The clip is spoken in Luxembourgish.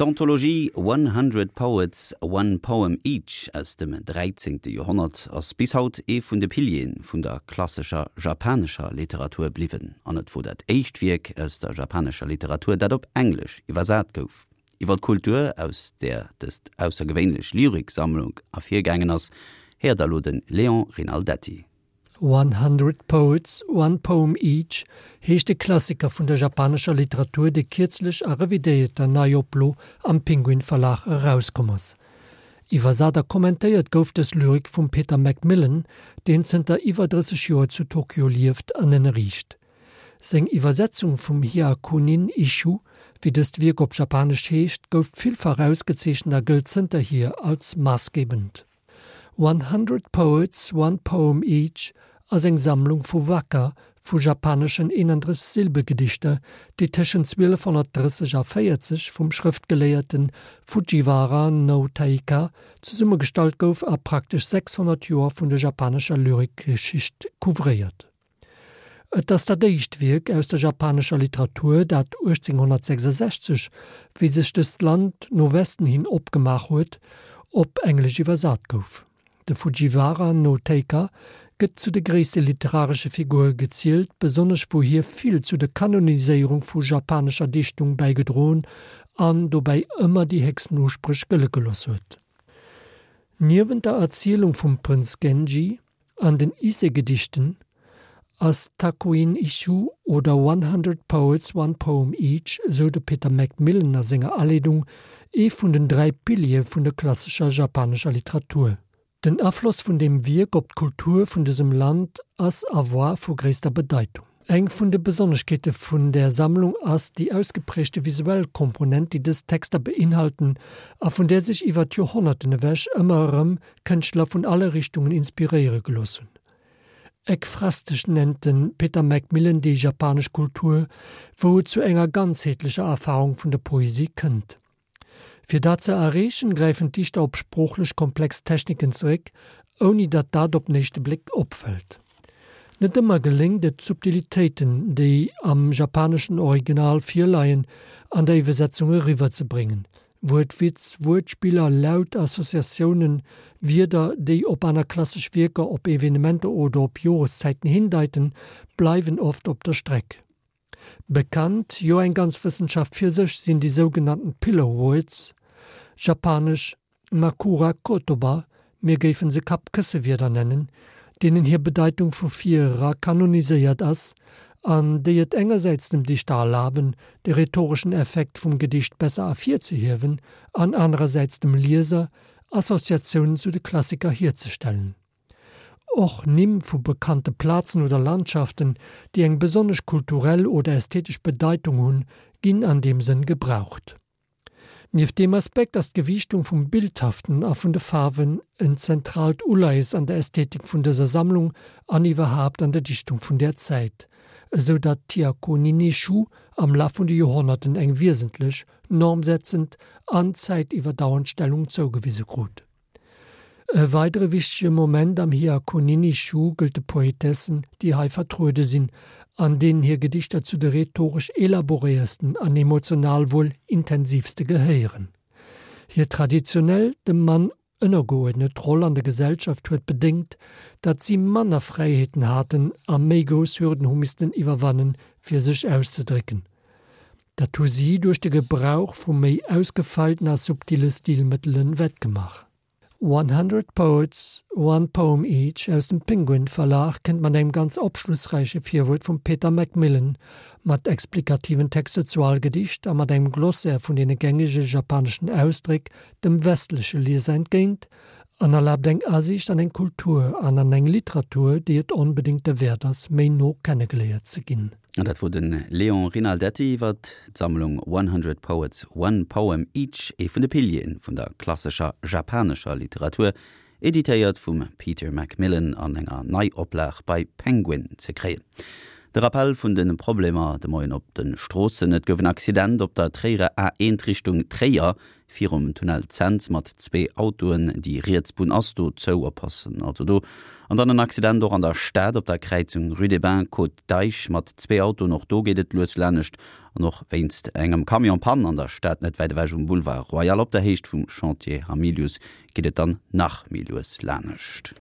D'Anthologie One Hundred Poets, One Poem Each aus dem 13. Joerhonnert ass bis haut ee vun de Piliere vun der klassescher japanescher Literatur bliwwen an et wor dat éischt Wierk aus der japanescher Literatur, dat op Englesch iwwersat gouf. Iwwer d'Kultur, aus där dëst aussergewéinlech Lyriksammlung ervirgaangen ass, héiert der elo de Léon Rinaldetti. One Hundred Poets, One Poem Each heescht e Klassiker vun der japanescher Literatur, dee kierzlech a revidéierter Neioplo am Penguin Verlag erauskomm ass. Iwwersat a kommentéiert gouf dës Lyrik vum Peter McMillan, deen zënter iwwer 30 Joer zu Tokio lieft an ënnerriicht. Seng Iwwersetzung vum Hyakunin Isshu, wéi dëst Wierk op Japanesch heescht, gouf villfach ausgezeechent a gëllt zënterhier als maassgebend. One Hundred Poets, One Poem Each ass eng Sammlung vu Waka, vu japaneschen 31 Silbegedichter, déi tëschent 1230 a 40 vum Schrëftgeléierte Fujiwara no Taika zesummegestallt gouf a praktesch 600 Joer vun der japanescher Lyrikgeschicht couvréiert. Et ass dat éischt Wierk aus der japanescher Literatur, dat 1866, wéi sech dëst Land no Westen hin opgemaach huet, op Englesch iwwersat gouf. De Fujiwara no Teika gëtt zu de gréisste literaresche Figure gezielt, besonnesch wou hie vill zu der Kanoniséierung vu japanescher Dichtung bäigedroen an dobäi ëmmer déi héchsten Uspréch gëlle gelooss huet. Niewent der Erzielung vum Prënz Genji, An den Ise-Gedichten ass Takuin Isshu oder One Hundred Poets, One Poem Each, esou de Peter McMillan a senger Aleedung, ee vun den 3 Piliere vun der klassescher japanescher Literatur. Den Afloss vun deem Wierk op d'Kultur vun dësem Land ass a war vu gréisster Bedeitung. Eng vun de Besonneschkeete vun där Sammlung ass déi ausgeprägte visuell Komponent, déi dës Texter beinhalten a vun där sech iwwer d'Joerhonnerten ewech ëmmer erëm Kënschtler vun alle Richtungen inspiréiere gelooss hunn. Ekphrastesch nennt de Peter McMillan déi japanesch Kultur, wou et zu enger ganzheetlecher Erfarung vun der Poesie kënnt. Fir dat ze erreechen, gräifen d'Dichter op sproochlech komplex Techniken zeréck, ouni datt dat op den éischte Bléck opfält. Net ëmmer geléngt et, d'Subtilitéiten, déi am japaneschen Original virleien, an der Iwwersetzung eriwwerzebréngen. Wuertwitz, Wuertspiller, Laut, Associatiounen, Wierder, déi op aner klassesch Wierker, op Evenementer oder op Joreszäiten hindeiten, bleiwen oft op der Streck. Bekannt, jo eng ganz Wëssenschaft fir sech, sinn déi sougenannten Pillow Words, japanesch Makura Kotoba, mir géifen se Kappkëssewierder nennen, deenen hir Bedeitung vu vir era kanoniséiert ass an déi et engersäits dem Dichter erlaben, de rhetoreschen Effekt vum Gedicht besser ervirzehiewen an anerersäits dem Lieser Associatiounen zu de Klassiker hierzestellen. Och Nimm vu bekannte Plazen oder Landschaften, déi eng besonnesch kulturell oder ästhetesch Bedeitung hunn, ginn an deem Sënn gebraucht. Nieft deem Aspekt ass d'Gewiichtung vum Bildhaften a vun de Faarwen en zentraalt Uleies an der Ästhetik vun dëser Sammlung an iwwerhaapt an der Dichtung vun där Zäit, esou datt d'Hyakunin Isshu am Laf vun de Joerhonnerten eng wiesentlech, normsetzend an zäitiwwerdauernd Stellung zougewise krut. E weidere wichtege Moment am Hyakunin Isshu gëllt de Poetessen, déi hei vertruede sinn, an deenen hir Gedichter zu de rhetoresch elaboréiersten an emotional wuel intensiivste gehéieren. Hir traditionell dem Mann ënnergeuerdnet Roll an der Gesellschaft huet bedéngt, datt si manner Fräiheeten haten a méi grouss Hürden hu missten iwwerwannen, fir sech auszedrécken. Dat hu si duerch de Gebrauch vu méi ausgefeilten a subtile Stilmëttele wettgemaach. One Hundred Poets, One Poem Each aus dem Penguin Verlag kënnt mat engem ganz opschlussräiche Virwuert vum Peter McMillan, mat explikativen Texter zu all Gedicht a mat engem Glossaire vun deene gängege japaneschen Ausdréck dem westleche Lieser entgéint an erlaabt eng Asiicht an eng Kultur an an eng Literatur, déi et onbedéngt derwäert ass, méi no kennegeléiert ze ginn. An dat wor de Léon Rinaldetti iwwer d'Sammlung One Hundred Poets, One Poem Each, ee vun de Piliere vun der klassescher japanescher Literatur, editéiert vum Peter McMillan an enger Neioplag bei Penguin ze kréien. De Rappell vun de Problemer de Moien op de Stroossen, Et gouf en Accident op der Tréierer A1 Richtung Tréier virum Tunnel Cents mat zwee Autoen. Déi riets Bunn ass do zou, oppassen also do. An dann en Accident och an der Stad op der Kräizung Rue des Bains, Côte d'Eich mat zwee Autoen. Och do geet et lues lanescht. An och wéinst engem Camion Panne an der Stad net wäit ewech um Boulevard Royal op der Héicht vum Chantier Hamilius geet et dann nach méi lues lanescht.